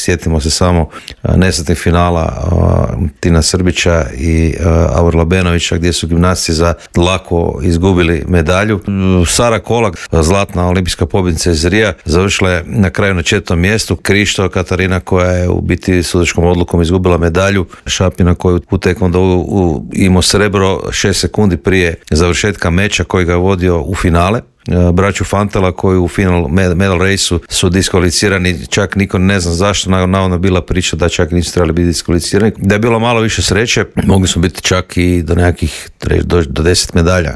sjetimo se samo nesretnih finala Tina Srbića i Aurela Benovića gdje su gimnasti za lako izgubili medalju. Sara Kolak, zlatna olimpijska pobjednica iz Rija, završila je na kraju na 4. mjestu. Krišto Katarina koja je u biti sudačkom odlukom izgubila medalju. Šapina koji u taekwondou imao srebro 6 sekundi prije završetka meča koji ga je vodio u finale. Braću Fantala koji u final medal raceu su diskvalificirani, čak niko ne zna zašto, navodno bila priča da čak nisu trebali biti diskvalificirani. Da je bilo malo više sreće, mogli smo biti čak i do nekakvih do 10 medalja.